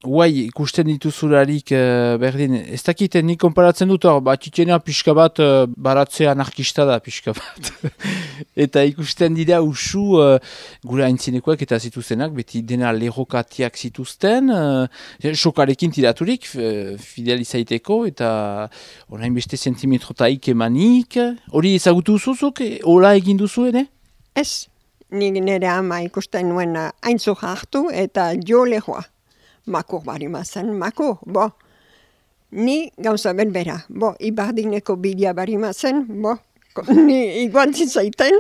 Guai, ikusten dituzularik berdin, ez dakiten nik konparatzen dut hor, batitena pixka bat baratze anarkista da pixka bat. Eta ikusten dira usu gure haintzinekoak eta zituzenak, beti dena lerrokatiak zituzten, sokarekin tiraturik, fidel izaiteko, eta orain beste sentimetrotaik emanik. Hori ezagutu zuzuk, hola egin duzu ere? Ez, nik nire ama ikusten nuen haintzuk hartu eta jo lehoa. Makur bari mazen, makur, bo. Ni gauza berbera, bo, ibardineko bidea bari mazen, bo, ni iguantzit zaiten.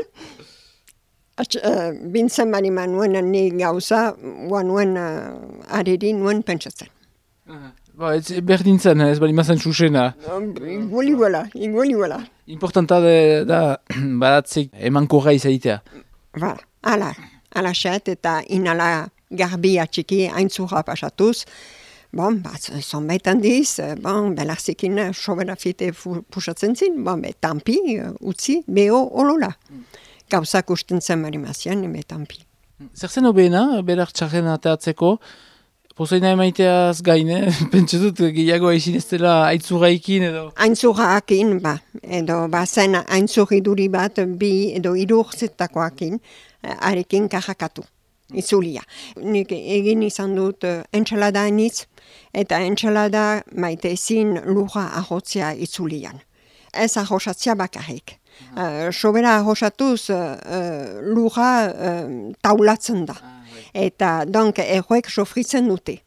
Bintzen bari manuen ni gauza, nuen ariri nuen pentsatzen. Ba, ez berdin zen, ez bari mazen susena. Iguli guela. Importanta da badatzik emankorra izaitea. Ba, ala xet eta inala garbia txiki haintzura pasatuz. Bon, zonbait handiz, belarzikin sobera fite pusatzen zin, tampi, utzi, beho olola. Gauzak usten zen marimazien, tampi. Zer zen obeena, berak txarren ateatzeko? Pozoina emaiteaz gaine, pentsatut gehiago ezin ez dela aintzuraikin edo? Aintzuraakin, edo zen aintzurriduri bat, bi edo irurtzetakoakin, arekin kajakatu. Itzulia. Nik egin izan dut entxalada anitz, eta entxalada maite ezin lurra ahotzea itzulian. Ez ahosatzea bakarrik. Sobera ahosatuz lurra taulatzen da. Eta donk erroek sofritzen dute.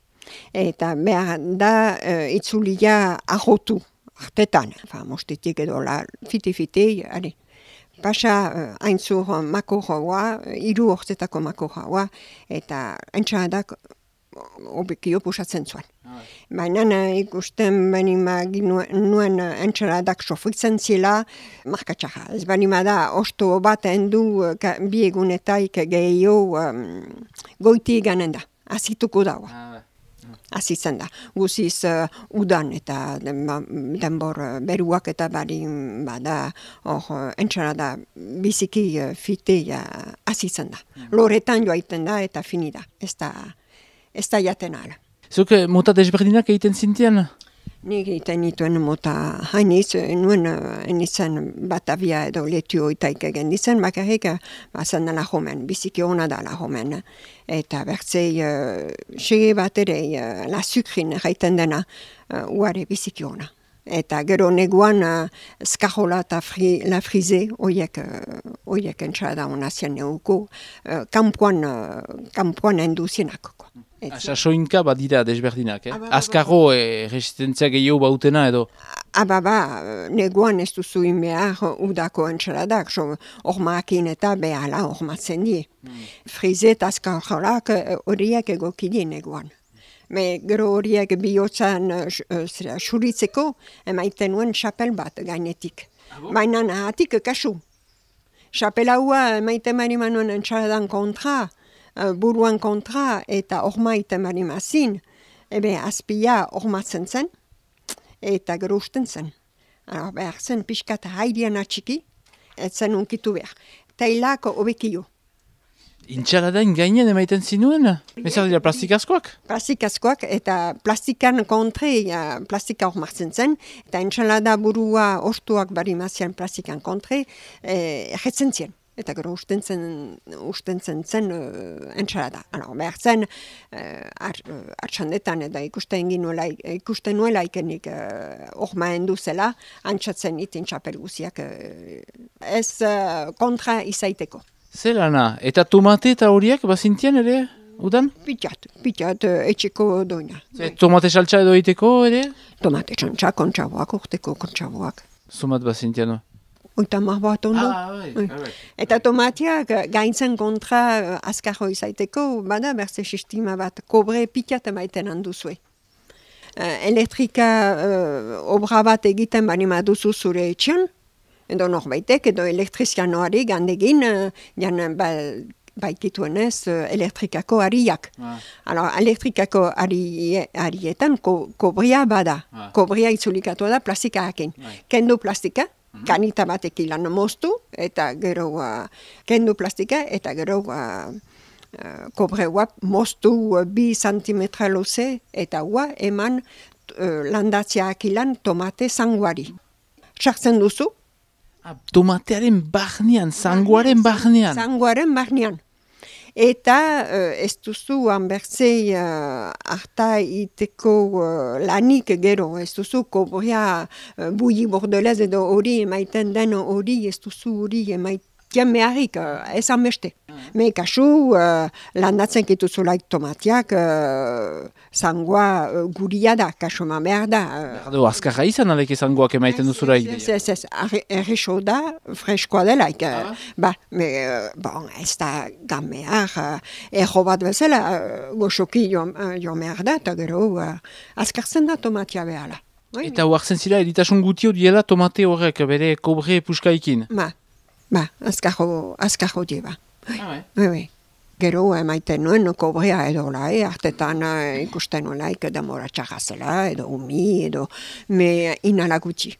Eta behar da itzulia ahotu. Artetan. Mostetik edo fite-fite, Pasa haintzur makorroa, 3 urtetako makorroa, eta entxaladak obekio pusatzen zuen. Baina ikusten nuen entxaladak sofritzen zela, markatxarra. Ez banima da, osto bat endu bi egunetaik gehiago goiti ganen da. Azituko daua. Azitzen da. Guziz udan eta denbor beruak eta bari bada entxalada biziki fitea azitzen da. Loretan joaiten da eta finida. Ez da jaten ala. Zuk mota desberdinak egiten zintian? Nik egiten nituen mota hainiz, nuen enitzen Batavia edo Letio itaik egen dizen, bakarrik bazen la homen, biziki hona da la homen. Eta bertzei sege bat ere la sukrin gaiten dena uare biziki hona. Eta gero neguan skajola eta la frize, oiek entxada hona zien neuko, kampuan enduzienak. Sasoinka badira desberdinak, Azkarro resistentzia gehiago bautena edo? Neguan ez duzu inbehar udako entxaladak, ormaakin eta behala ormatzen die. Frize eta azkarjolak horiek egokide neguan. Gero horiek bihotzan xuritzeko emaiten nuen xapel bat gainetik. Baina nahatik kasu. Xapel haua emaiten marima nuen entxaladan kontra, buruan kontra eta ormaiten marimazin, azpia ormatzen zen eta gero usten zen. Behar zen pixkat haidian atxiki, ez zen unkitu behar. Tailako obekio. Intxaladain gainen emaiten zinuen? Bezar dira plastikazkoak? Plastikazkoak eta plastikan kontre plastika ormatzen zen, eta intxalada burua ostuak barimazian plastikan kontre erretzen zien. Eta gero usten zen entxalada. Behar zen, artxandetan eta ikusten nuela ikenik ormaen duzela, antxatzen itin txapel guziak ez kontra izaiteko. Zelana, eta tomate eta horiek bazintian ere, udan? Pitat etxeko doina. Tomate saltza edo egiteko ere? Tomate saltza, kontxaboak, urteko kontxaboak. Zumat bazintian? Oitamar bat ondo. Eta tomateak gaintzen kontra azkarro izaiteko, bada berze sistema bat, kobre pitat emaiten handuzue. Elektrika obra bat egiten banima duzu zure etxean, edo norbaitek, edo elektrizianoari gandegin, baikituenez elektrikako ariak. Elektrikako arietan kobria bada. Kobria itzulikatu da plastikarekin. Kendu plastika, kanita batek ilan moztu, eta gero kendu plastika, eta gero kobreua moztu 2 santimetra luze, eta hua eman landatzeak ilan tomate zanguari. Sartzen duzu? Tomatearen barnean, zangoaren barnean. Zangoaren barnean. Eta ez duzu hanbertzei harta iteko lanik gero, ez duzu kobrea bui bordelez edo hori emaiten den hori, ez duzu hori emaiten meharik, ez hanbeste. Me kasu landatzen kituzulaik tomatiak zangoa guria da, kasu ma behar da. Berdo, azkarra izan aleke zangoak emaiten duzulaik. Ez, errexo da, freskoa delaik. Bon, ez da gamear, erro bat bezala, goxoki jo behar da, eta gero azkartzen da tomatia behala. Eta huartzen zira, editasun gutio diela tomate horrek, bere kobre puskaikin. Azkarro dieba. Gero emaiten nuen kobrea edo lai, hartetan ikusten nolaik demora txarrazela, edo umi, edo me inala gutxi.